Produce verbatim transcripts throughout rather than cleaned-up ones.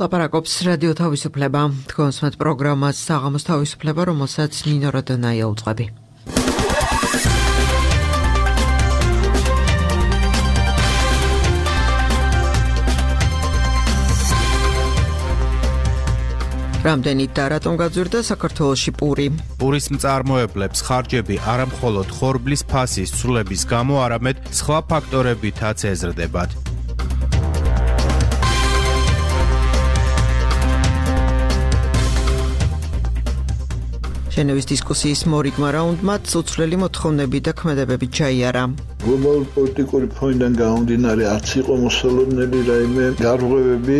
ლაპარაკობს რადიო თავისუფლება. თქვენს მათ პროგრამას საღამოს თავისუფლება, რომელსაც ნინო როდონაია უძღვები. რამდენით და რატომ გაძვირდა საქართველოში პური? პურის მწარმოებლებს ხარჯები არა მხოლოდ ხორბლის ფასის ცვლილების გამო, არამედ სხვა ფაქტორებითაც ეზრდებათ. ჟენევის დისკუსიის მორიგმა რაუნდმა უცვლელი მოთხოვნები და ქმედებები ჩაიარა. გლობალური პოლიტიკური ფონიდან გამომდინარე არც იყო მოსალოდნელი რაიმე გარღვევები.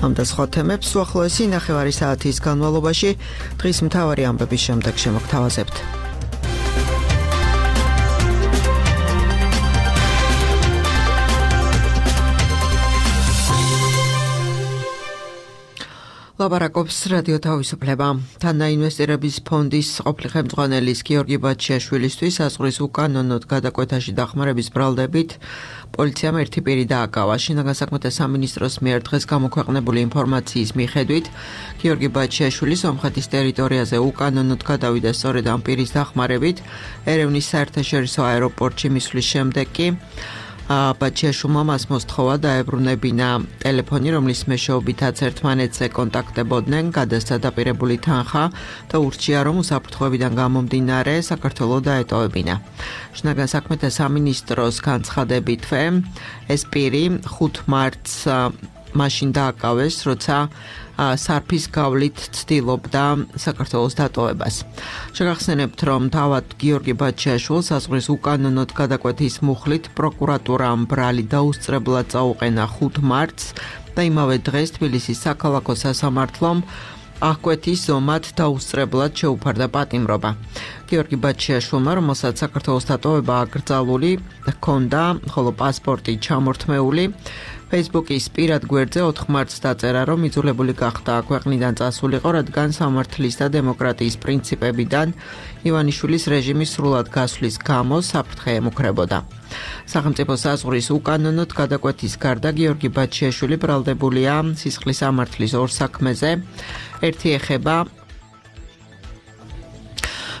ამ და სხვა თემებს უახლოესი ნახევარი საათის განმავლობაში დღის მთავარი ამბების შემდეგ შემოგთავაზებთ. ლაპარაკობს რადიო თავისუფლება. თანაინვესტირების ფონდის ყოფილი ხელმძღვანელის გიორგი ბაჩიაშვილისთვის საზღვრის უკანონოდ გადაკვეთაში დახმარების ბრალდებით პოლიციამ ერთი პირი დააკავა. შინაგან საქმეთა სამინისტროს მიერ დღეს გამოქვეყნებული ინფორმაციის მიხედვით, გიორგი ბაჩიაშვილი სომხეთის ტერიტორიაზე უკანონოდ გადავიდა სწორედ ამ პირის დახმარებით. ერევნის საერთაშორისო აეროპორტში მისვლის შემდეგ კი ბაჩიაშვილმა მას მოსთხოვა დაებრუნებინა ტელეფონი, რომლის მეშვეობითაც ერთმანეთზე კონტაქტებოდნენ, გადასცა დაპირებული თანხა და ურჩია, რომ უსაფრთხოებიდან გამომდინარე საქართველო დაეტოვებინა. შინაგან საქმეთა სამინისტროს განცხადებითვე ეს პირი ხუთ მარტს მაშინ დააკავეს, როცა სარფის გავლით ცდილობდა საქართველოს დატოვებას. შეგახსენებთ, რომ თავად გიორგი ბაჩიაშვილს საზღვრის უკანონოდ გადაკვეთის მუხლით პროკურატურამ ბრალი დაუსწრებლად წაუყენა ხუთ მარტს და იმავე დღეს თბილისის საქალაქო სასამართლომ აღკვეთის ზომად დაუსწრებლად შეუფარდა პატიმრობა. გიორგი ბაჩიაშვილმა, რომელსაც საქართველოს დატოვება აკრძალული ჰქონდა, ხოლო პასპორტი ჩამორთმეული, Facebook-ის პირად გვერდზე ოთხ მარტს დაწერა, რომ იძულებული გახდა ქვეყნიდან წასულიყო, რადგან სამართლის და დემოკრატიის პრინციპებიდან ივანიშვილის რეჟიმის სრულად გასვლის გამო საფრთხე ემუქრებოდა. სახელმწიფო საზღვრის უკანონოდ გადაკვეთის გარდა გიორგი ბაჩიაშვილი ბრალდებულია სისხლის სამართლის ორ საქმეზე. ერთი ეხება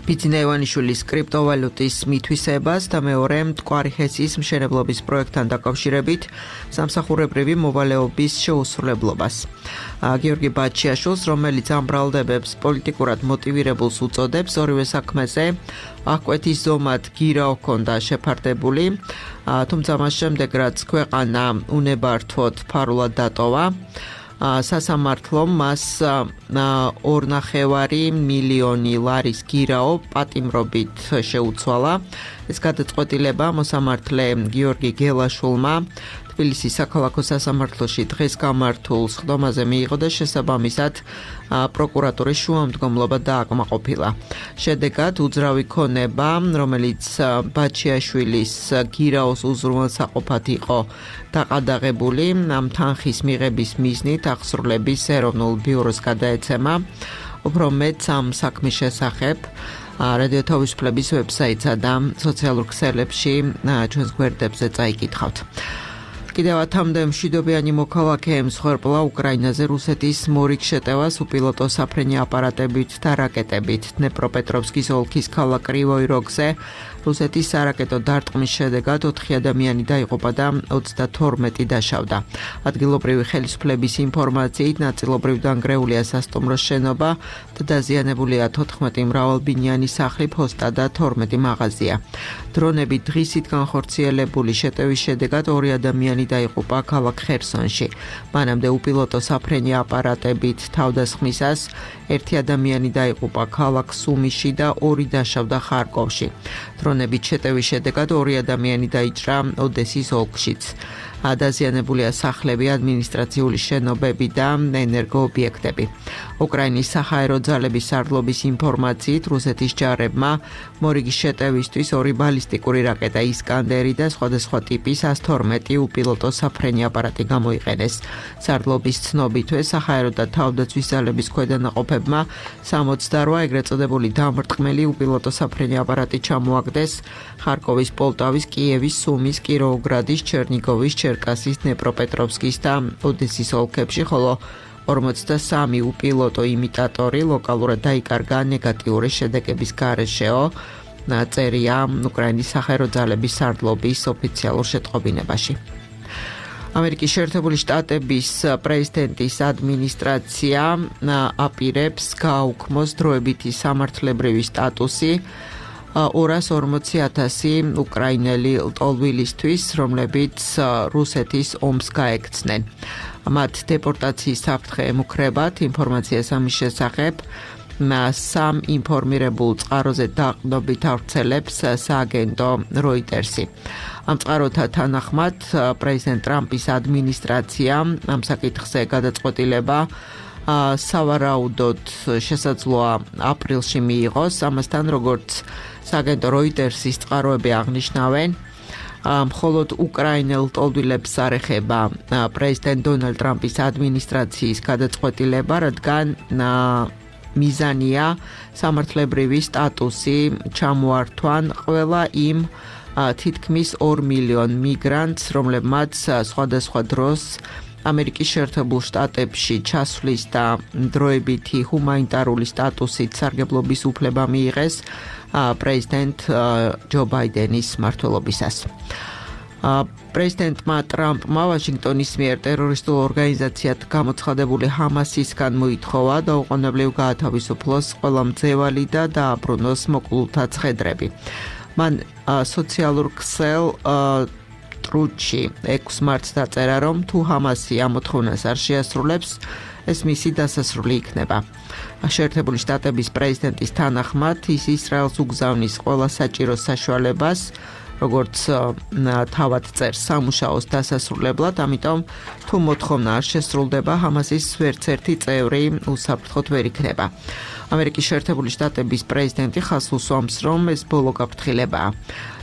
ბიძინა ივანიშვილის კრიპტოვალუტის მითვისებას და მეორე მტკვარი ჰესის მშენებლობის პროექტთან დაკავშირებით სამსახურებრივი მოვალეობის შეუსრულებლობას. გიორგი ბაჩიაშვილს, რომელიც ამ ბრალდებებს პოლიტიკურად მოტივირებულს უწოდებს, ორივე საქმეზე აღკვეთის ზომად გირა ჰქონდა შეფარდებული, თუმცა მას შემდეგ რაც ქვეყანა უნებართვოდ ფარულად დატოვა, სასამართლომ მას ორნახევარი მილიონი ლარის გირაო პატიმრობით შეუცვალა. ეს გადაწყვეტილება მოსამართლე გიორგი გელაშვილმა თბილისის საქალაქო სასამართლოში დღეს გამართულ სხდომაზე მიიღო და შესაბამისად პროკურატურის შუამდგომლობა დააკმაყოფილა. შედეგად უძრავი ქონება, რომელიც ბაჩიაშვილის გირაოს უზრუნველსაყოფად იყო დაყადაღებული, ამ თანხის მიღების მიზნით აღსრულების ეროვნულ ბიუროს გადაეცემა. უფრო მეტს ამ საქმის შესახებ რადიო თავისუფლების ვებსაიტსა და სოციალურ ქსელებში ჩვენს გვერდებზე წაიკითხავთ. კიდევ ათამდე მშვიდობიანი მოქალაქე ემსხვერპლა უკრაინაზე რუსეთის მორიგ შეტევას უპილოტო საფრენი აპარატებით და რაკეტებით. დნეპროპეტროვსკის ოლქის ქალაქ კრივოი როგზე რუსეთის სარაკეტო დარტყმის შედეგად ოთხი ადამიანი დაიღუპა და ოცდათორმეტი დაშავდა. ადგილობრივი ხელისუფლების ინფორმაციით ნაწილობრივ დანგრეულია სასტუმროს შენობა და დაზიანებულია თოთხმეტი მრავალბინიანი სახლი, ფოსტა და თორმეტი მაღაზია. დრონები დღისით განხორციელებული შეტევის შედეგად ორი ადამიანი დაიღუპა ქალაქ ხერსონში. მანამდე უპილოტო საფრენი აპარატებით თავდასხმისას ერთი ადამიანი დაიღუპა ქალაქ სუმიში და ორი დაშავდა ხარკოვში. დრონებით შეტევის შედეგად ორი ადამიანი დაიჭრა ოდესის ოლქშიც. დაზიანებულია სახლები, ადმინისტრაციული შენობები და ენერგოობიექტები. უკრაინის საჰაერო ძალების სარდლობის ინფორმაციით, რუსეთის ჯარებმა მორიგის შეტევისთვის ორი ბალისტიკური რაკეტა ისკანდერი და სხვადასხვა ტიპის ას თორმეტი უპილოტო საფრენი აპარატი გამოიყენეს. სარდლობის ცნობითვე საჰაერო და თავდაცვის ძალების ქვედანაყოფებმა სამოცდარვა ეგრეთ წოდებული დამრტყმელი უპილოტო საფრენი აპარატი ჩამოაგდეს ხარკოვის, პოლტავის, კიევის, სუმის, კიროვოგრადის, ჩერნიგოვის, ჩერკასის, დნეპროპეტროვსკის და ოდესის ოლქებში, ხოლო ორმოცდასამი უპილოტო იმიტატორი ლოკალურად დაიკარგა ნეგატიური შედეგების გარეშეო, წერია უკრაინის საჰაერო ძალების სარდლობის ოფიციალურ შეტყობინებაში. ამერიკის შეერთებული შტატების პრეზიდენტის ადმინისტრაცია აპირებს გააუქმოს დროებითი სამართლებრივი სტატუსი ორას ორმოცი ათასი უკრაინელი ლტოლვილისთვის, რომლებიც რუსეთის ომს გაექცნენ. მათ დეპორტაციის საფრთხე ემუქრებათ. ინფორმაციას ამის შესახებ სამ ინფორმირებულ წყაროზე დაყრდნობით ავრცელებს სააგენტო როიტერსი. ამ წყაროთა თანახმად პრეზიდენტ ტრამპის ადმინისტრაცია ამ საკითხზე გადაწყვეტილება სავარაუდოდ შესაძლოა აპრილში მიიღოს. ამასთან, როგორც სააგენტო როიტერსის წყაროები აღნიშნავენ, მხოლოდ უკრაინელ ლტოლვილებს არ ეხება პრეზიდენტ დონალდ ტრამპის ადმინისტრაციის გადაწყვეტილება, რადგან მიზანია სამართლებრივი სტატუსი ჩამოართვან ყველა იმ თითქმის ორ მილიონ მიგრანტს, რომლებმაც სხვადასხვა დროს ამერიკის შეერთებულ შტატებში ჩასვლის და დროებითი ჰუმანიტარული სტატუსით სარგებლობის უფლება მიიღეს პრეზიდენტ ჯო ბაიდენის მმართველობისას. პრეზიდენტმა ტრამპმა ვაშინგტონის მიერ ტერორისტულ ორგანიზაციად გამოცხადებული ჰამასისგან მოითხოვა დაუყოვნებლივ გაათავისუფლოს ყველა მძევალი და დააბრუნოს მოკლულთა ცხედრები. მან სოციალურ ქსელ ტრუჩი ექვსი მარტს დაწერა, რომ თუ ჰამასი ამ მოთხოვნას არ შეასრულებს, ეს მისი დასასრული იქნება. შეერთებული შტატების პრეზიდენტის თანახმად, ის ისრაელს უგზავნის ყველა საჭირო საშუალებას, როგორც თავად წერს სამუშაოს დასასრულებლად, ამიტომ თუ მოთხოვნა არ შესრულდება, ჰამასის ვერცერთი წევრი უსაფრთხოდ ვერ იქნება. ამერიკის შეერთებული შტატების პრეზიდენტი ხაზს უსვამს, რომ ეს ბოლო გაფრთხილებაა.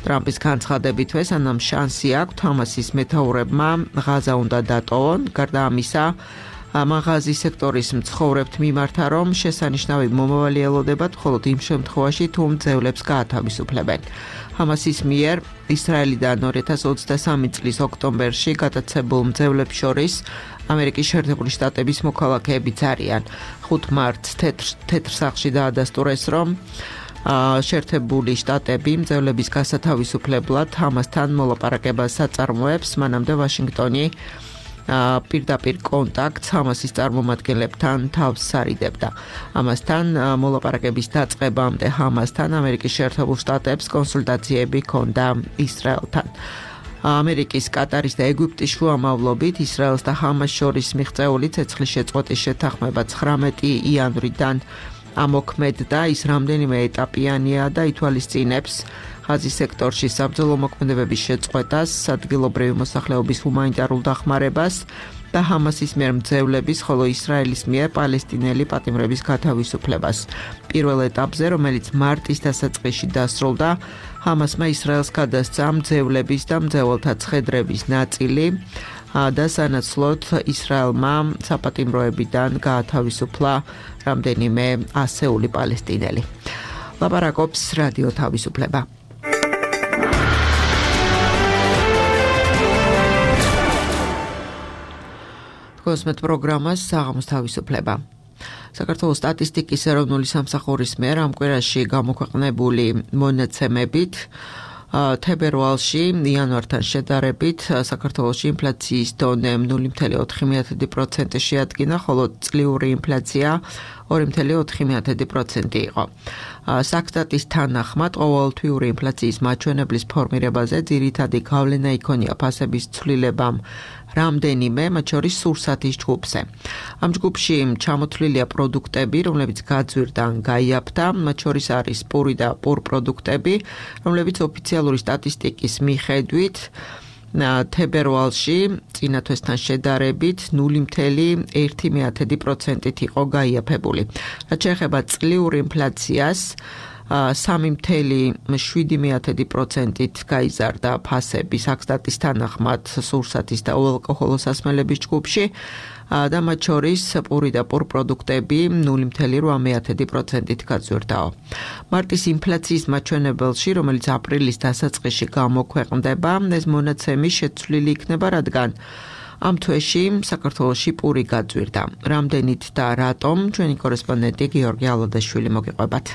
ტრამპის განცხადებითვე სანამ შანსი აქვთ ჰამასის მეთაურებმა ღაზა უნდა დატოვონ, გარდა ამისა, მაღაზიის სექტორის მცხოვრებთ მიმართა, რომ შესანიშნავი მომავალი ელოდებათ მხოლოდ იმ შემთხვევაში, თუ მძევლებს გაათავისუფლებენ. ჰამასის მიერ ისრაელიდან ორი ათას ოცდასამი წლის ოქტომბერში გადაცებულ მძევლებს შორის ამერიკის შეერთებული შტატების მოქალაქეებიც არიან. ხუთ მარტს თეთრ სახლში დაადასტურეს, რომ შეერთებული შტატები მძევლების გასათავისუფლებლად ჰამასთან მოლაპარაკებას აწარმოებს, მანამდე ვაშინგტონი პირდაპირ კონტაქტს ჰამასის წარმომადგენლებთან თავს სარიდებდა. ამასთან მოლაპარაკების დაწყებამდე ჰამასთან ამერიკის შეერთებულ შტატებს კონსულტაციები ჰქონდა ისრაელთან. ამერიკის, კატარის და ეგვიპტის შუამავლობით ისრაელს და ჰამას შორის მიღწეული ცეცხლის შეწყვეტის შეთანხმება ცხრამეტი იანვრიდან ამოქმედდა. ის რამდენიმე ეტაპიანია და ითვალისწინებს ღაზის სექტორში საბრძოლო მოქმედებების შეწყვეტას, ადგილობრივი მოსახლეობის ჰუმანიტარულ დახმარებას და ჰამასის მიერ მძევლების, ხოლო ისრაელის მიერ პალესტინელი პატიმრების გათავისუფლებას. პირველ ეტაპზე, რომელიც მარტის დასაწყისში დასრულდა, ჰამასმა ისრაელს გადასცა მძევლების და მძეველთა ცხედრების ნაწილი და სანაცვლოდ ისრაელმა საპატიმროებიდან გაათავისუფლა რამდენიმე ასეული პალესტინელი. ლაპარაკობს რადიო თავისუფლება. კოსმეთ პროგრამას საღამოს თავისუფლება. საქართველოს სტატისტიკის ეროვნული სამსახურის მიერ ამ კვირაში გამოქვეყნებული მონაცემებით თებერვალში იანვართან შედარებით საქართველოში ინფლაციის დონე ნული ფاصლე ოთხი პროცენტი შეადგინა, ხოლო წლიური ინფლაცია ორი ფاصლე ოთხი პროცენტი იყო. საქსტატის თანახმად ყოველთვიური ინფლაციის მაჩვენებლის ფორმირებაზე ძირითადი გავლენა იქონია ფასების ცვლილებამ რამდენიმე, მათ შორის სურსათის ჯგუფზე. ამ ჯგუფში ჩამოთვლილია პროდუქტები, რომლებიც გაძვირდა ან გაიაფთა, მათ შორის არის პური და პურ პროდუქტები, რომლებიც ოფიციალური სტატისტიკის მიხედვით თებერვალში წინა თვესთან შედარებით ნული მცდე ერთი პროცენტით იყო გაიაფებული. რაც შეეხება წლიურ ინფლაციას, სამი მცდე შვიდი პროცენტით გაიზარდა ფასები საქსტატის თანახმად სურსათის და უალკოჰოლოს სასმელების ჯგუფში და მათ შორის პური და პურპროდუქტები ნული მცდე პროცენტით გაძვირდაო. მარტის ინფლაციის მაჩვენებელში, რომელიც აპრილის დასაწყისში გამოქვეყნდება, ეს მონაცემი შეცვლილი იქნება, რადგან ამ თვეში საქართველოში პური გაძვირდა. რამდენით და რატომ ჩვენი კორესპონდენტი გიორგი ალოდაშვილი მოგიყვებათ.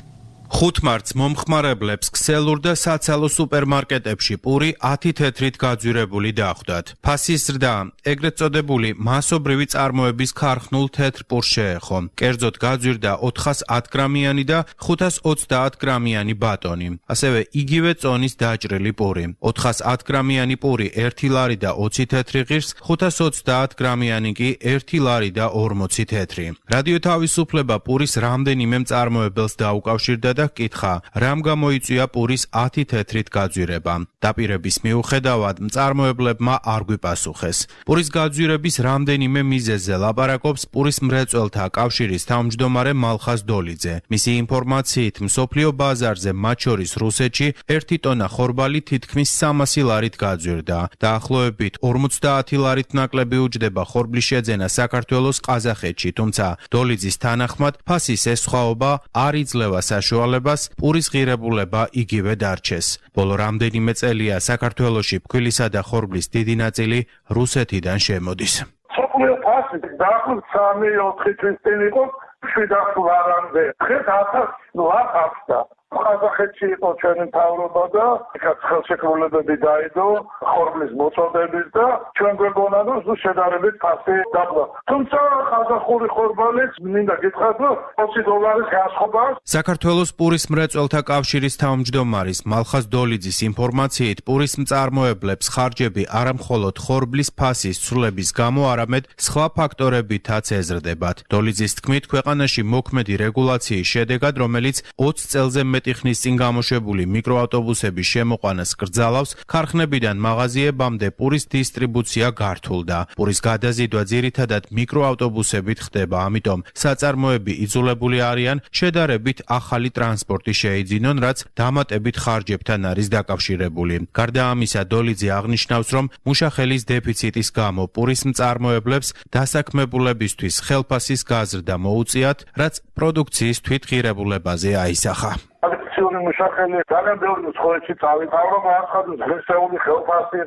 ხუთ მარტს მომხმარებლებს ქსელურ და საცალო სუპერმარკეტებში პური ათი თეთრით გაძვირებული დახვდათ. ფასის ზრდა ეგრეთ წოდებული მასობრივი წარმოების ქარხნულ თეთრ პურს შეეხო. კერძოდ გაძვირდა ოთხას ათ გრამიანი და ხუთას ოცდაათ გრამიანი ბატონი. ასევე იგივე წონის დაჭრილი პური. ოთხას ათ გრამიანი პური ერთი ლარი და ოცი თეთრი ღირს, ხუთას ოცდაათ გრამიანი კი ერთი ლარი და ორმოცი თეთრი. რადიო თავისუფლება პურის რამდენიმე მწარმოებელს დაუკავშირდა და კითხა, რამ გამოიწვია პურის ათი თეთრით გაძვირება. დაპირების მიუხედავად მწარმოებლებმა არ გვიპასუხეს. პურის გაძვირების რამდენიმე მიზეზზე ლაპარაკობს პურის მრეწველთა კავშირის თავმჯდომარე მალხაზ დოლიძე. მისი ინფორმაციით, მსოფლიო ბაზარზე, მათ შორის რუსეთში, ერთი ტონა ხორბალი თითქმის სამასი ლარით გაძვირდა. დაახლოებით ორმოცდაათი ლარით ნაკლები უჯდება ხორბლის შეძენა საქართველოს ყაზახეთში, თუმცა დოლიძის თანახმად ფასის ეს სხვაობა არ იძლევა საშუალებას პურის ღირებულება იგივე დარჩეს. ბოლო რამდენიმე წელია საქართველოში ფქვილისა და ხორბლის დიდი ნაწილი რუსეთიდან შემოდის. სოფლიო ფასი დაახლოებით სამი ოთხი თვის წინ იყო შვიდ ლარამდე. დღეს ათას ლარს ახსნა. ყაზახეთში იყო ჩვენი მთავრობა და იქაც ხელშეკრულებები დაიდო ხორბლის მოწოდების და ჩვენ გვეგონა რომ ზუსტ შედარებით ფასი დაბლა. თუმცა ყაზახური ხორბალიც მინდა გითხრათ რომ ოცი დოლარის განსხვავება. საქართველოს პურის მრეწველთა კავშირის თავმჯდომარის მალხაზ დოლიძის ინფორმაციით, პურის მწარმოებლებს ხარჯები არა მხოლოდ ხორბლის ფასის ცვლილების გამო, არამედ სხვა ფაქტორებითაც ეზრდებათ. დოლიძის თქმით, ქვეყანაში მოქმედი რეგულაციის შედეგად, რომელიც ოცი წელზე მეტი ხნის წინ გამოშვებული მიკროავტობუსების შემოყვანას კრძალავს, ქარხნებიდან მაღაზიებამდე პურის დისტრიბუცია გართულდა. პურის გადაზიდვა ძირითადად მიკროავტობუსებით ხდება, ამიტომ საწარმოები იძულებული არიან შედარებით ახალი ტრანსპორტი შეიძინონ, რაც დამატებით ხარჯებთან არის დაკავშირებული. გარდა ამისა, დოლიძე აღნიშნავს, რომ მუშახელის დეფიციტის გამო პურის მწარმოებლებს დასაქმებულებისთვის ხელფასის გაზრდა მოუწიათ, რაც პროდუქციის თვითღირებულებაზე აისახა. აკციური მუშახელი ძალიან ბევრი ცხოვრებში წავიდა, ახალ ღირსეული ხელფასი.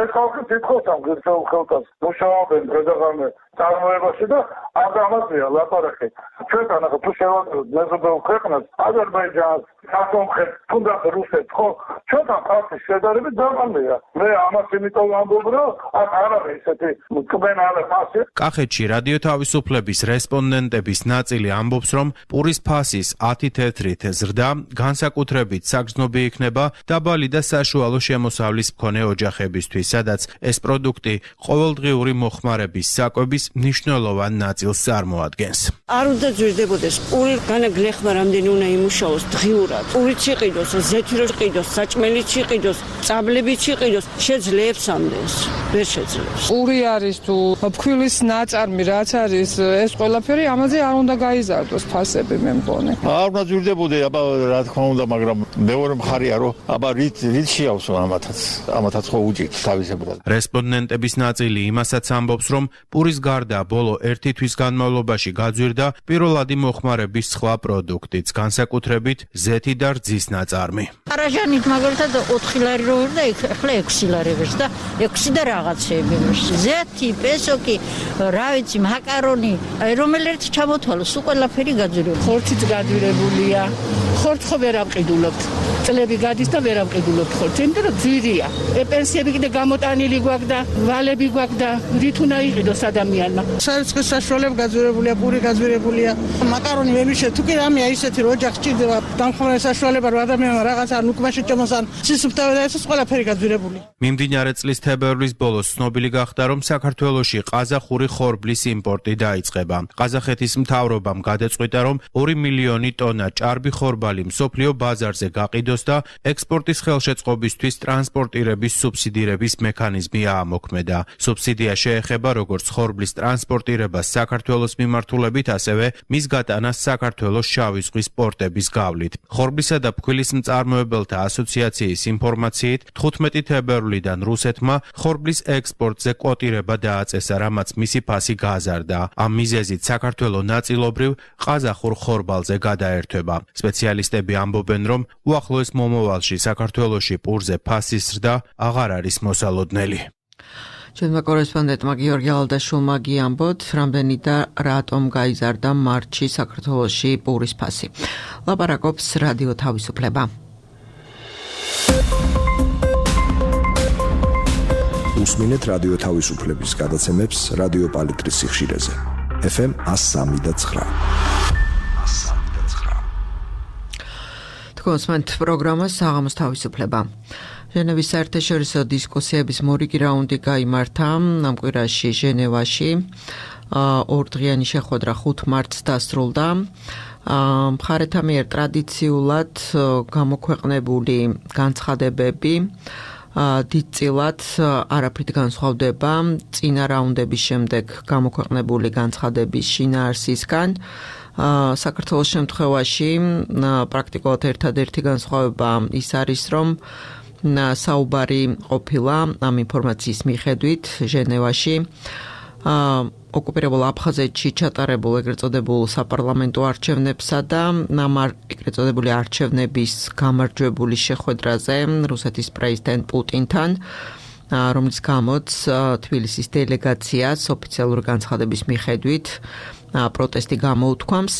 ეს ხალხი თითქოს ამ ღირსეულ ხელფასს მუშაობენ დღესდღეობით წარმოებაში და ამ ამაზეა ლაპარაკი. ჩვენთან ახლა თუ შევადაროთ მეზობელ ქვეყნას, აზერბაიჯანს, საქართველოს, თუნდაც რუსეთს, ხო, ჩვენთან ფასის შედარებით დაბალია. მე ამას იმიტომ ვამბობ, რომ აქ არ არის ესეთი მკბენალე ფასი. კახეთში რადიო თავისუფლების რესპონდენტების ნაწილი ამბობს, რომ პურის ფასის ათი თეთრით ზრდა განსაკუთრებით საგრძნობი იქნება დაბალი და საშუალო შემოსავლის მქონე ოჯახებისთვის, სადაც ეს პროდუქტი ყოველდღიური მოხმარების საკვების მნიშვნელოვან ნაწილს წარმოადგენს. არ უნდა ძვირდებოდეს პური განაგლეხმა რამდენი უნდა იმუშაოს დღიურად. პურიც იყიდოს, ზეთიროც იყიდოს, საჭმელიც იყიდოს, წაბლებიც იყიდოს, შეძლებს ამდენს. ვერ შეძლებს. პური არის თუ ფქვილის ნაწარმი რაც არის, ეს ყველაფერი ამაზე არ უნდა გაიზარდოს ფასები მე მგონი. არ უნდა ძვირდებოდე, აბა რა თქმა უნდა, მაგრამ მეორე მხარეა რომ აბა რით რით შეავსო ამათაც, ამათაც ხო უჭირთ თავისებურად. რესპონდენტების ნაწილი იმასაც ამბობს, რომ პურის გარდა ბოლო ერთი თვის განმავლობაში გაძვირდა პირველადი მოხმარების სხვა პროდუქტიც, განსაკუთრებით ზეთი და რძის ნაწარმი. არაჟანით მაგალითად ოთხი ლარი რო ვერდა, ახლა ექვსი ლარი ვერს და ექვსი და რაღაცეები ვერს. ზეთი, პესოკი, რა ვიცი, მაკარონი, რომელიც ჩამოთვალოს, ყველაფერი გაძვირებული. ხორციც გაძვირებულია. ხორც ხო ვერ ამყიდულობთ. წლები გადის და ვერ ამყიდულობთ ხორცს, იმიტომ რომ ძვირია. პენსიები კიდე გამოტანილი გვაქვს და ვალები გვაქვს და რით უნდა იყიდოს ადამიანმა. სარწყის საშუალება გაძვირებულია, პური გაძვირებულია. მაკარონი ვემიშე, თუ კი რამეა ისეთი რომ ოჯახს ჭირდება დამხმარე საშუალება რომ ადამიანმა რაღაც არ უკმაში ჭამოსან, სისუფთავე და ეს ყველაფერი გაძვირებული. მიმდინარე წლის თებერვლის ბოლოს ცნობილი გახდა, რომ საქართველოში ყაზახური ხორბლის იმპორტი დაიწყება. ყაზახეთის მთავრობამ გადაწყვიტა, რომ ორი მილიონი ტონა ჭარბი ხორბალი მსოფლიო ბაზარზე გაყიდოს და ექსპორტის ხელშეწყობისთვის ტრანსპორტირების სუბსიდირების მექანიზმი აამოქმედა. სუბსიდია შეეხება როგორც ხორბლის ტრანსპორტირებას საქართველოს მიმართულებით, ასევე მის გატანას საქართველოს შავი ზღვის პორტების გავლით. ხორბლისა და ფქვილის მწარმოებელთა ასოციაციის ინფორმაციით, თხუთმეტი თებერვლიდან რუსეთმა ხორბლის ექსპორტზე კვოტირება დააწესა, რამაც მისი ფასი გააზარდა. ამ მიზეზით საქართველო ნაწილობრივ ყაზახურ ხორბალზე გადაერთვება. სპეციალისტები ამბობენ, რომ უახლოეს მომავალში საქართველოში პურზე ფასის ზრდა აღარ არის მოსალოდნელი. ჩვენმა კორესპონდენტმა გიორგი ალდაშულმა გიამბოთ, რამდენი და რატომ გაიზარდა მარტში საქართველოში პურის ფასი. ლაპარაკობს რადიო თავისუფლება. უსმინეთ რადიო თავისუფლების გადაცემებს რადიო პალიტრის სიხშირეზე. ეფ ემ one oh three და nine. თქვენს პროგრამას საღამოს თავისუფლება. ჟენევის საერთაშორისო დისკუსიების მორიგი რაუნდი გაიმართა ამ კვირაში ჟენევაში. ორდღიანი შეხვედრა ხუთ მარტს დასრულდა. მხარეთა მიერ ტრადიციულად გამოქვეყნებული განცხადებები დიდწილად არაფრით განსხვავდება წინა რაუნდების შემდეგ გამოქვეყნებული განცხადების შინაარსისგან. საქართველოს შემთხვევაში პრაქტიკულად ერთადერთი განსხვავება ის არის, რომ საუბარი ყოფილა ამ ინფორმაციის მიხედვით ჟენევაში ოკუპირებულ აფხაზეთში ჩატარებულ ეგრეთ წოდებულ საპარლამენტო არჩევნებსა და ამ ეგრეთ წოდებული არჩევნების გამარჯვებული შეხვედრაზე რუსეთის პრეზიდენტ პუტინთან, რომლის გამოც თბილისის დელეგაციას ოფიციალური განცხადების მიხედვით პროტესტი გამოუთქვამს.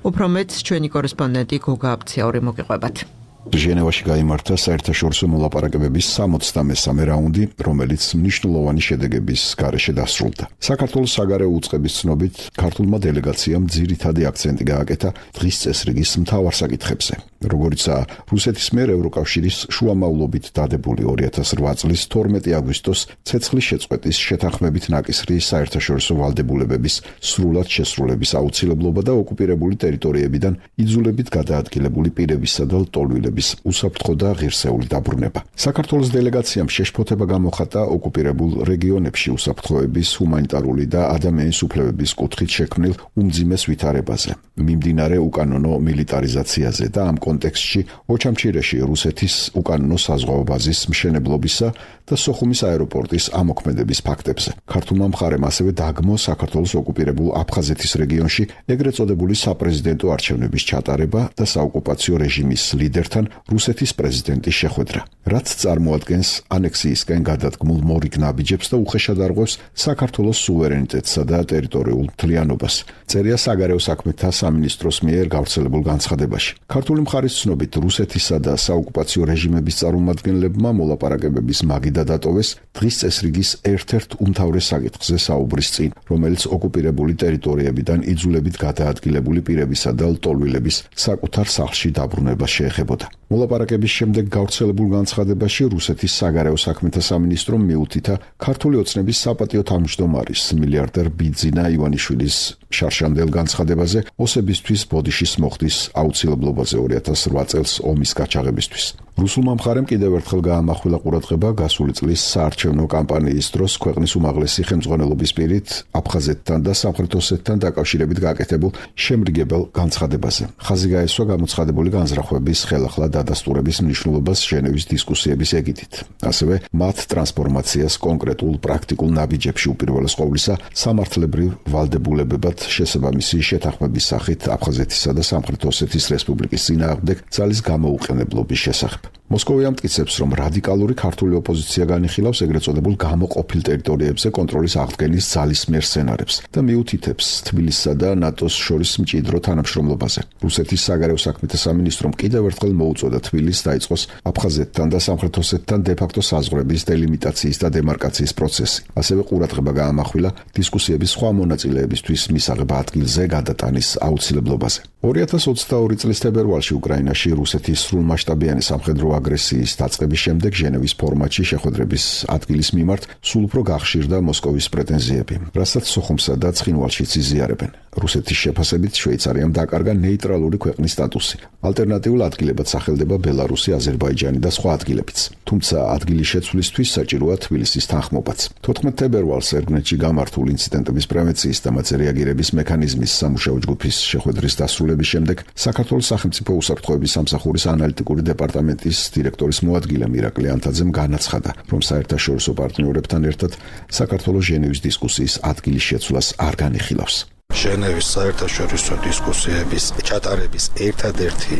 უფრო მეტს ჩვენი კორესპონდენტი გოგა აბციური მოგიყვებათ. ჟენევაში გაიმართა საერთაშორისო მოლაპარაკებების სამოცდამესამე რაუნდი, რომელიც მნიშვნელოვანი შედეგების გარეშე დასრულდა. საქართველოს საგარეო უწყების ცნობით, ქართულმა დელეგაციამ ძირითადი აქცენტი გააკეთა დღის წესრიგის მთავარ საკითხებზე, როგორიცაა რუსეთის მიერ ევროკავშირის შუამავლობით დადებული ორი ათას რვა წლის თორმეტი აგვისტოს ცეცხლის შეწყვეტის შეთანხმებით ნაკისრი საერთაშორისო ვალდებულებების სრულად შესრულების აუცილებლობა და ოკუპირებული ტერიტორიებიდან იძულებით გადაადგილებული პირებისა და ლტოლვილების უსაფრთხო და ღირსეული დაბრუნება. საქართველოს დელეგაციამ შეშფოთება გამოხატა ოკუპირებულ რეგიონებში უსაფრთხოების, ჰუმანიტარული და ადამიანის უფლებების კუთხით შექმნილ უმძიმეს ვითარებაზე, მიმდინარე უკანონო მილიტარიზაციაზე და ამ კონტექსტში ოჩამჩირეში რუსეთის უკანონო საზღვაო ბაზის მშენებლობისა და სოხუმის აეროპორტის ამოქმედების ფაქტებზე. ქართულმა მხარემ ასევე დაგმო საქართველოს ოკუპირებულ აფხაზეთის რეგიონში ეგრეთ წოდებული საპრეზიდენტო არჩევნების ჩატარება და საოკუპაციო რეჟიმის ლიდერთან რუსეთის პრეზიდენტის შეხვედრა, რაც წარმოადგენს ანექსიისკენ გადადგმულ მორიგ ნაბიჯებს და უხეშად არღვევს საქართველოს სუვერენიტეტსა და ტერიტორიულ მთლიანობას. წერია საგარეო საქმეთა სამინისტროს მიერ გავრცელებულ განცხადებაში. ქართული მხარის ცნობით, რუსეთისა და საოკუპაციო რეჟიმების წარმომადგენლებმა მოლაპარაკებების მაგიდა დატოვეს დღის წესრიგის ერთ-ერთ უმთავრეს საკითხზე საუბრის წინ, რომელიც ოკუპირებული ტერიტორიებიდან იძულებით გადაადგილებული პირებისა და ლტოლვილების საკუთარ სახლში დაბრუნებას შეეხებოდა. მოლაპარაკების შემდეგ გავრცელებულ განცხადებაში რუსეთის საგარეო საქმეთა სამინისტრომ მიუთითა ქართული ოცნების საპატიო თავმჯდომარის მილიარდერ ბიძინა ივანიშვილის შარშანდელ განცხადებაზე ოსებისთვის ბოდიშის მოხდის აუცილებლობაზე ორი ათას რვა წელს ომის გაჩაღებისთვის. რუსულმა მხარემ კიდევ ერთხელ გაამახვილა ყურადღება გასული წლის საარჩევნო კამპანიის დროს ქვეყნის უმაღლესი ხელმძღვანელობის პირით აფხაზეთთან და სამხრეთ ოსეთთან დაკავშირებით გაკეთებულ შემრიგებელ განცხადებაზე. ხაზი გაესვა გამოცხადებული განზრახვების ხელახლა დადასტურების მნიშვნელობას ჟენევის დისკუსიების ეგიდით. ასევე მათ ტრანსფორმაციას კონკრეტულ პრაქტიკულ ნაბიჯებში უპირველეს ყოვლისა სამართლებრივ ვალდებულებებად შესაბამისი შეთანხმების სახით აფხაზეთისა და სამხრეთ ოსეთის რესპუბლიკის წინააღმდეგ ძალის გამოუყენებლობის შესახებ. მოსკოვი ამტკიცებს, რომ რადიკალური ქართული ოპოზიცია განიხილავს ეგრეთ წოდებულ გამოყოფილ ტერიტორიებზე კონტროლის აღდგენის ძალისმიერ სცენარებს და მიუთითებს თბილისსა და ნატოს შორის მჭიდრო თანამშრომლობაზე. რუსეთის საგარეო საქმეთა სამინისტრომ კიდევ ერთხელ მოუწოდა თბილისს დაიწყოს აფხაზეთთან და სამხრეთ ოსეთთან დე-ფაქტო საზღვრების დელიმიტაციის და დემარკაციის პროცესი. ასევე ყურადღება გაამახვილა დისკუსიების სხვა მონაწილეებისთვის მისაღებ ადგილზე გადატანის აუცილებლობაზე. ორი ათას ოცდაორი წლის თებერვალში უკრაინაში რუსეთის სრულმასშტაბიანი სამხედრო აგრესიის დაწყების შემდეგ ჟენევის ფორმატში შეხვედრების ადგილის მიმართ სულ უფრო გახშირდა მოსკოვის პრეტენზიები, რასაც სოხუმსა და ცხინვალშიც იზიარებენ. რუსეთის შეფასებით შვეიცარიამ დაკარგა ნეიტრალური ქვეყნის სტატუსი. ალტერნატიულ ადგილებად სახელდება ბელარუსი, აზერბაიჯანი და სხვა ადგილებიც. თუმცა ადგილის შეცვლისთვის საჭიროა თბილისის თანხმობაც. თოთხმეტ თებერვალს ერგნეთში გამართულ ინციდენტების პრევენციის და მათზე რეაგირების მექანიზმის სამუშაო ჯგუფის შეხვედრის დასრულების შემდეგ საქართველოს სახელმწიფო უსაფრთხოების სამსახურის ანალიტიკური დეპარტამენტის დირექტორის მოადგილე მირაკლი ანთაძემ განაცხადა, რომ საერთაშორისო პარტნიორებთან ერთად საქართველოს ჟენევის დისკუსიის ადგილის შეცვლას არ განიხილავს. ჟენევის საერთაშორისო დისკუსიების ჩატარების ერთადერთი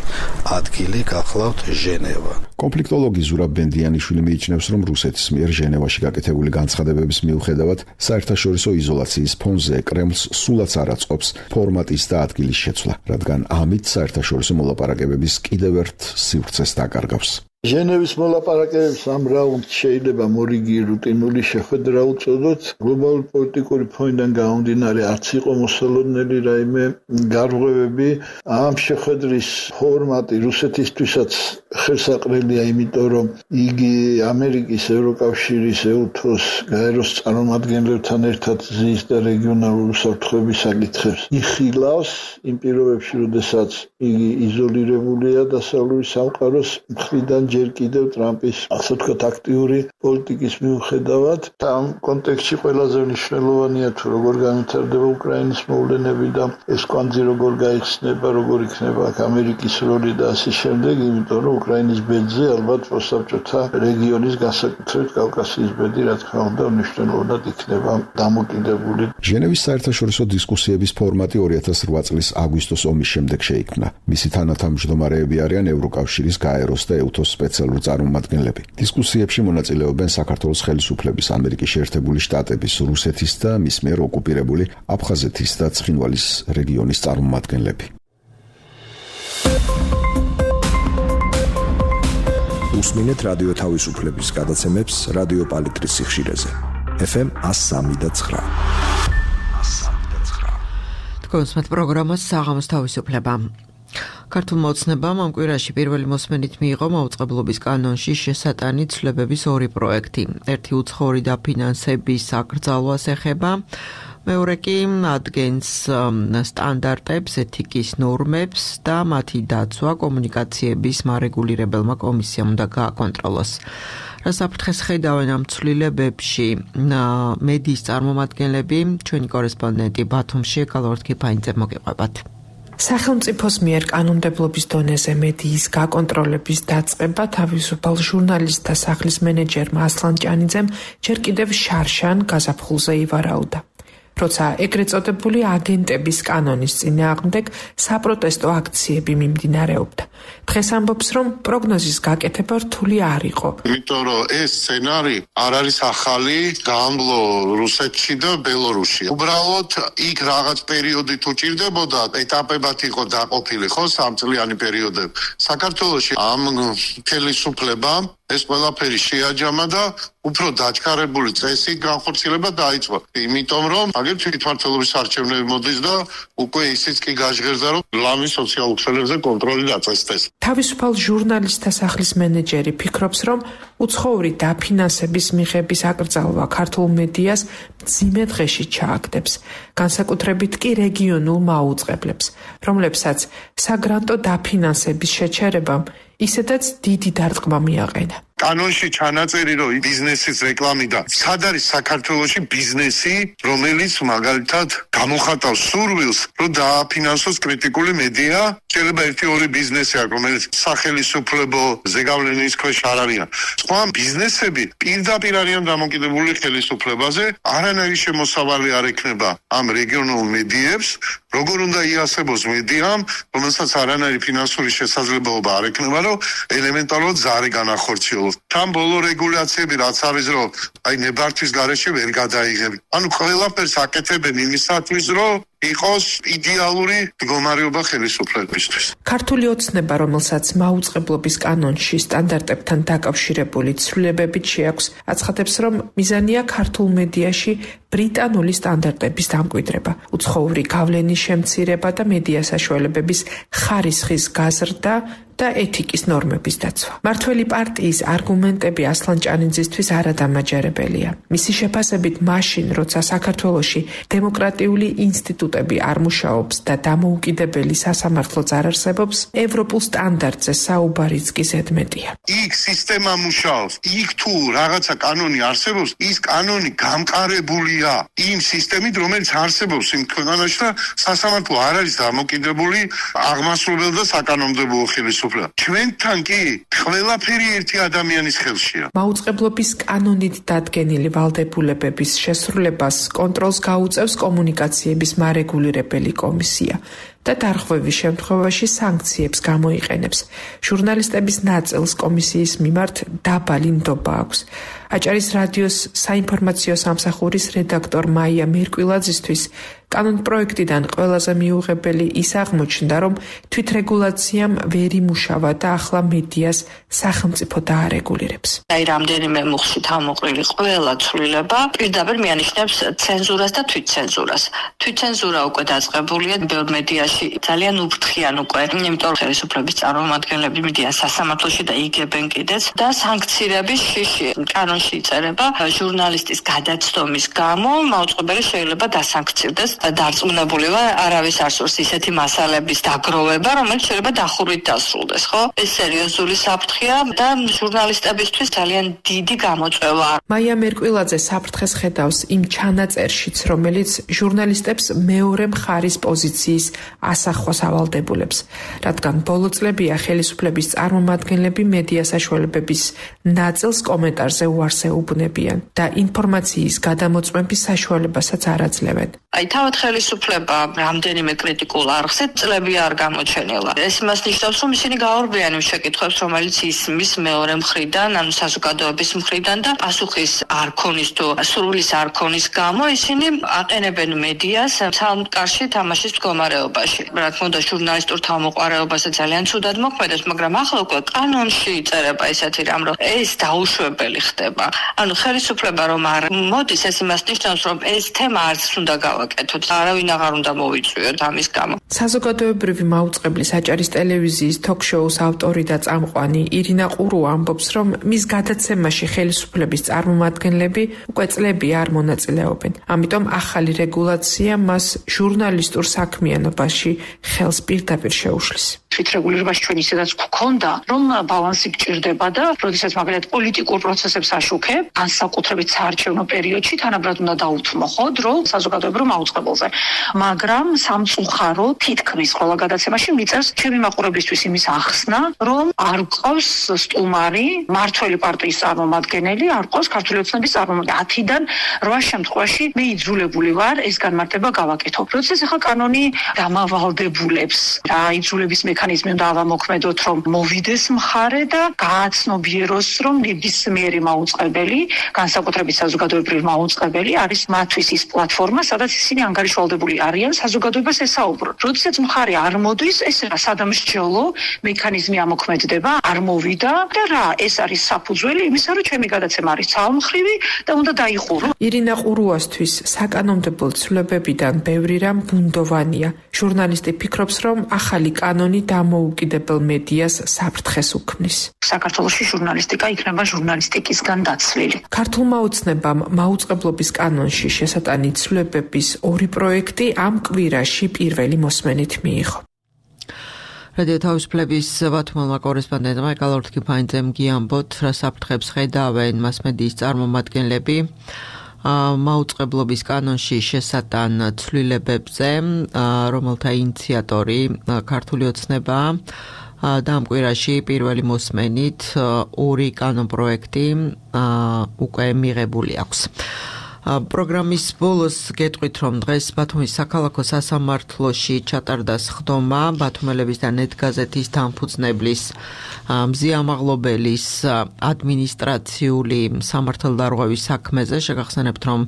ადგილი გახლავთ ჟენევა. კონფლიქტოლოგი ზურაბ ბენდიანიშვილი მიიჩნევს, რომ რუსეთის მიერ ჟენევაში გაკეთებული განცხადებების მიუხედავად საერთაშორისო იზოლაციის ფონზე კრემლს სულაც არ აწყობს ფორმატის და ადგილის შეცვლა, რადგან ამით საერთაშორისო მოლაპარაკებების კიდევ ერთ სივრცეს დაკარგავს. ჟენევის მოლაპარაკებებს ამ რაუნდს შეიძლება მორიგი რუტინული შეხვედრა უწოდოთ. გლობალური პოლიტიკური ფონიდან გამომდინარე არც იყო მოსალოდნელი რაიმე გარღვევები. ამ შეხვედრის ფორმატი რუსეთისთვისაც ხელსაყრელია, იმიტომ რომ იგი ამერიკის, ევროკავშირის, ეუთოს, გაეროს წარმომადგენლებთან ერთად ზის და რეგიონალური უსაფრთხოების საკითხებს იხილავს იმ პირობებში, როდესაც იგი იზოლირებულია დასავლური სამყაროს მხრიდან ჯერ კიდევ ტრამპის, ასე ვთქვათ, აქტიური პოლიტიკის მიუხედავად. ამ კონტექსტში ყველაზე მნიშვნელოვანია თუ როგორ განვითარდება უკრაინის მოვლენები და ეს კვანძი როგორ გაიხსნება, როგორ იქნება ამერიკის როლი და ასე შემდეგ, იმიტომ რომ უკრაინის ბედზე ალბათ მოსაბჭოთა რეგიონის განსაკუთრებით კავკასიის ბედი, რა თქმა უნდა, მნიშვნელოვნად იქნება დამოკიდებული. ჟენევის საერთაშორისო დისკუსიების ფორმატი ორი ათას რვა წლის აგვისტოს ომის შემდეგ შეიქმნა. მისი თანათავმჯდომარეები არიან ევროკავშირის, გაეროს და ეუთოს სპეციალური წარმომადგენლები. დისკუსიებში მონაწილეობენ საქართველოს ხელისუფლების, ამერიკის შეერთებული შტატების, რუსეთის და მის მიერ ოკუპირებული აფხაზეთის და ცხინვალის რეგიონის წარმომადგენლები. უსმინეთ რადიო თავისუფლების გადაცემებს რადიო პალიტრის სიხშირეზე. ეფ ემ one oh three და nine. თქვენს პროგრამას საღამოს თავისუფლება. ქართულმა ოცნებამ ამ კვირაში პირველი მოსმენით მიიღო მაუწყებლობის კანონში შესატანი ცვლილებების ორი პროექტი. ერთი უცხოური დაფინანსების აკრძალვას ეხება, მეორე კი ადგენს სტანდარტებს, ეთიკის ნორმებს და მათი დაცვა კომუნიკაციების მარეგულირებელმა კომისიამ უნდა გააკონტროლოს. რა საფრთხეს ხედავენ ამ ცვლილებებში მედიის წარმომადგენლები, ჩვენი კორესპონდენტი ბათუმში ეკალორთ ქიფაინძე მოგეყვებათ. სახელმწიფოს მიერ კანონმდებლობის დონეზე მედიის გაკონტროლების დაწყება თავისუფალ ჟურნალისტთა სახლის მენეჯერმა ასლან ჭანიძემ ჯერ კიდევ შარშან გაზაფხულზე ივარაუდა. როცა ეგრეთ წოდებული აგენტების კანონის წინააღმდეგ საპროტესტო აქციები მიმდინარეობდა. დღეს ამბობს, რომ პროგნოზის გაკეთება რთული არ იყო. იმიტომ რომ ეს სცენარი არ არის ახალი, გამბლო რუსეთში და ბელორუსში. უბრალოდ იქ რაღაც პერიოდი თუ ჭირდებოდა, ეტაპებად იყო დაყოფილი, ხო, სამწლიანი პერიოდები. საქართველოში ამ ხელისუფლებამ ეს ყველაფერი შეაჯამა და უფრო დაჩქარებული წესი განხორციელება დაიწყო. იმიტომ რომ აგერ თვითმმართველობის არჩევნები მოდის და უკვე ისიც კი გაჟღერდა, რომ ლამის სოციალურ ქსელებზე კონტროლი დაწესდეს. თავისუფალ ჟურნალისტთა სახლის მენეჯერი ფიქრობს, რომ უცხოური დაფინანსების მიღების აკრძალვა ქართულ მედიას მძიმე დღეში ჩააგდებს, განსაკუთრებით კი რეგიონულ მაუწყებლებს, რომლებსაც საგრანტო დაფინანსების შეჩერებამ ისედაც დიდი დარტყმა მიაყენა. კანონში ჩანაწერი, რომ ბიზნესის რეკლამიდან სად არის საქართველოში ბიზნესი, რომელიც მაგალითად გამოხატავს სურვილს, რომ დააფინანსოს კრიტიკული მედია, შეიძლება ერთი ორი ბიზნესი აქვს, რომელიც სახელისუფლებო ზეგავლენის ქვეშ არ არიან. სხვა ბიზნესები პირდაპირ არიან დამოკიდებული ხელისუფლებაზე, არანაირი შემოსავალი არ ექნება ამ რეგიონულ მედიებს, როგორ უნდა იასებოს მედიამ, რომელსაც არანაირი ფინანსური შესაძლებლობა არ ექნება, რომ ელემენტარულად ზარი განახორციელოს. თან ბოლო რეგულაციები რაც არის, რომ აი ნებართვის გარეშე ვერ გადაიღები. ანუ ყველაფერს აკეთებენ იმისათვის, რომ იყოს იდეალური მდგომარეობა ხელისუფლებისთვის. ქართული ოცნება, რომელსაც მაუწყებლობის კანონში სტანდარტებთან დაკავშირებული ცვლილებებით შეაქვს, აცხადებს, რომ მიზანია ქართულ მედიაში ბრიტანული სტანდარტების დამკვიდრება, უცხოური გავლენის შემცირება და მედია საშუალებების ხარისხის გაზრდა და ეთიკის ნორმების დაცვა. მართველი პარტიის არგუმენტები ასლან ჭანიძისთვის არადამაჯერებელია. მისი შეფასებით, მაშინ, როცა საქართველოში დემოკრატიული ინსტიტუტი ინსტიტუტები არ მუშაობს და დამოუკიდებელი სასამართლოც არ არსებობს, ევროპულ სტანდარტზე საუბარიც კი ზედმეტია. იქ სისტემა მუშაობს, იქ თუ რაღაცა კანონი არსებობს, ის კანონი გამყარებულია იმ სისტემით, რომელიც არსებობს იმ ქვეყანაში და სასამართლო არ არის დამოკიდებული აღმასრულებელ და საკანონმდებლო ხელისუფლებაზე. ჩვენთან კი ყველაფერი ერთი ადამიანის ხელშია. მაუწყებლობის კანონით დადგენილი ვალდებულებების შესრულებას კონტროლს გაუწევს კომუნიკაციების მარეგულირებელი კომისია და დარღვევის შემთხვევაში სანქციებს გამოიყენებს. ჟურნალისტების ნაწილს კომისიის მიმართ დაბალი ნდობა აქვს. აჭარის რადიოს საინფორმაციო სამსახურის რედაქტორ მაია მერკვილაძისთვის კანონპროექტიდან ყველაზე მიუღებელი ის აღმოჩნდა, რომ თვითრეგულაციამ ვერ იმუშავა და ახლა მედიას სახელმწიფო დაარეგულირებს. აი რამდენიმე მუხლით ამოყრილი ყველა ცვლილება პირდაპირ მიანიშნებს ცენზურას და თვითცენზურას. თვითცენზურა უკვე დაწყებულია ბევრ მედიაში ძალიან უფრთხიან უკვე, იმიტომ ხელისუფლების წარმომადგენლები მიდიან სასამართლოში და იგებენ კიდეც და სანქციების შიში კანონში იწერება ჟურნალისტის გადაცდომის გამო მაუწყებელი შეიძლება დასანქცირდეს. დარწმუნებული ვარ, არავის არ სურს ისეთი მასალების დაგროვება, რომელიც შეიძლება დახურვით დასრულდეს, ხო? ეს სერიოზული საფრთხეა და ჟურნალისტებისთვის ძალიან დიდი გამოწვევა. მაია მერკვილაძე საფრთხეს ხედავს იმ ჩანაწერშიც, რომელიც ჟურნალისტებს მეორე მხარის პოზიციის ასახვას ავალდებულებს, რადგან ბოლო წლებია ხელისუფლების წარმომადგენლები მედია საშუალებების ნაწილს კომენტარზე უარს ეუბნებიან და ინფორმაციის გადამოწმების საშუალებასაც არ აძლევენ. აი თავად ხელისუფლება რამდენიმე კრიტიკულ არხზე წლები არ გამოჩენილა. ეს იმას ნიშნავს, რომ ისინი გაორბიან იმ შეკითხვებს, რომელიც ისმის მეორე მხრიდან, ანუ საზოგადოების მხრიდან და პასუხის არ ქონის თუ სრულის არ ქონის გამო ისინი აყენებენ მედიას სამკარში თამაშის მდგომარეობაში. რა თქმა უნდა, ჟურნალისტურ თავმოყარეობაზე ძალიან ცუდად მოქმედებს, მაგრამ ახლა უკვე კანონში იწერება ისეთი რამ, რომ ეს დაუშვებელი ხდება. ანუ ხელისუფლება რომ არ მოდის, ეს იმას ნიშნავს, რომ ეს თემა არც უნდა გავაკეთოთ. არავინ აღარ უნდა მოვიწვიოთ ამის გამო. საზოგადოებრივი მაუწყებლის აჭარის ტელევიზიის თოქ-შოუს ავტორი და წამყვანი ირინა ყურო ამბობს, რომ მის გადაცემაში ხელისუფლების წარმომადგენლები უკვე წლები არ მონაწილეობენ. ამიტომ ახალი რეგულაცია მას ჟურნალისტურ საქმიანობაში ხელს პირდაპირ შეუშლის. თვითრეგულირებაში ჩვენ ისედაც გვქონდა, რომ ბალანსი გჭირდება და როდესაც მაგალითად პოლიტიკურ პროცესებს აშუქებ, განსაკუთრებით საარჩევნო პერიოდში თანაბრად უნდა დაუთმო ხო დრო საზოგადოებრივ მაუწყებელზე. მაგრამ სამწუხარო თითქმის ყველა გადაცემაში მიწერს ჩემი მაყურებლისთვის იმის ახსნა, რომ არ გყავს სტუმარი, მართველი პარტიის წარმომადგენელი, არ გყავს ქართული ოცნების წარმომადგენელი. ათიდან რვა შემთხვევაში მე იძულებული ვარ ეს განმარტება გავაკეთო. როდესაც ახლა კანონი დამავალდებულებს რა იძულების მექანიზმი უნდა ავამოქმედოთ, რომ მოვიდეს მხარე და გააცნობიეროს, რომ ნებისმიერი მაუწყებელი, განსაკუთრებით საზოგადოებრივი მაუწყებელი არის მათთვის ის პლატფორმა, სადაც ისინი ანგარიშვალდებული არიან საზოგადოებას ესაუბრონ. როდესაც მხარე არ მოდის, ეს რა სადამსჯელო მექანიზმი ამოქმედდება, არ მოვიდა და რა, ეს არის საფუძველი იმისა, რომ ჩემი გადაცემა არის ძალმხრივი და უნდა დაიხურო. ირინა ყურუასთვის საკანონმდებლო ცვლილებებიდან ბევრი რამ ბუნდოვანია. ჟურნალისტი ფიქრობს, რომ ახალი კანონი დამოუკიდებელ მედიას საფრთხეს უქმნის. საქართველოში ჟურნალისტიკა იქნება ჟურნალისტიკისგან დაცლილი. ქართულმა ოცნებამ მაუწყებლობის კანონში შესატანი ცვლილებების ორი პროექტი ამ კვირაში პირველი მოსმენით მიიღო. რადიო თავისუფლების ბათუმელმა კორესპონდენტმა ეკალორთ კიფაინძემ გიამბოთ, რა საფრთხებს ხედავენ მასმედიის წარმომადგენლები მაუწყებლობის კანონში შესატან ცვლილებებზე, რომელთა ინიციატორი ქართული ოცნებაა. და ამ კვირაში პირველი მოსმენით ორი კანონპროექტი უკვე მიღებული აქვს. პროგრამის ბოლოს გეტყვით, რომ დღეს ბათუმის საქალაქო სასამართლოში ჩატარდა სხდომა ბათუმელების და ნეტგაზეთის დამფუძნებლის მზიამაღლობელის ადმინისტრაციული სამართალდარღვევის საქმეზე. შეგახსენებთ, რომ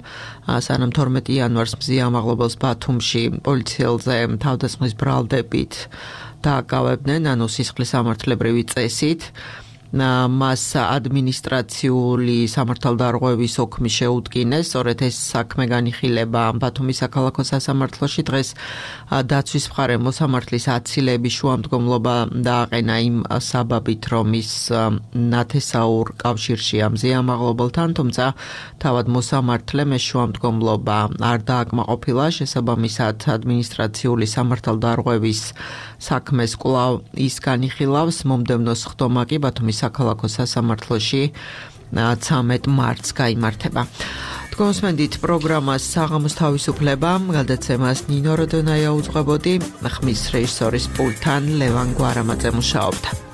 სანამ თორმეტი იანვარს მზიამაღლობელს ბათუმში პოლიციელზე თავდასხმის ბრალდებით დააკავებდნენ, ანუ სისხლის სამართლებრივი წესით. მას ადმინისტრაციული სამართალდარღვევის ოქმი შეუდგინეს. სწორედ ეს საქმე განიხილება ბათუმის საქალაქო სასამართლოში. დღეს დაცვის მხარემ მოსამართლის აცილების შუამდგომლობა დააყენა იმ საბაბით, რომ ის ნათესაურ კავშირშია მზიან მაღლობელთან, თუმცა თავად მოსამართლემ ეს შუამდგომლობა არ დააკმაყოფილა. შესაბამისად ადმინისტრაციული სამართალდარღვევის საქმეს კვლავ ის განიხილავს. მომდევნო სხდომა კი ბათუმის საქალაქო სასამართლოში ცამეტ მარტს გაიმართება. თქვენსმენდით პროგრამას საღამოს თავისუფლება, გადაცემას ნინო როდონაია უძღვებოდი, ხმის რეჟისორის პულტთან ლევან გვარამაძე მუშაობდა.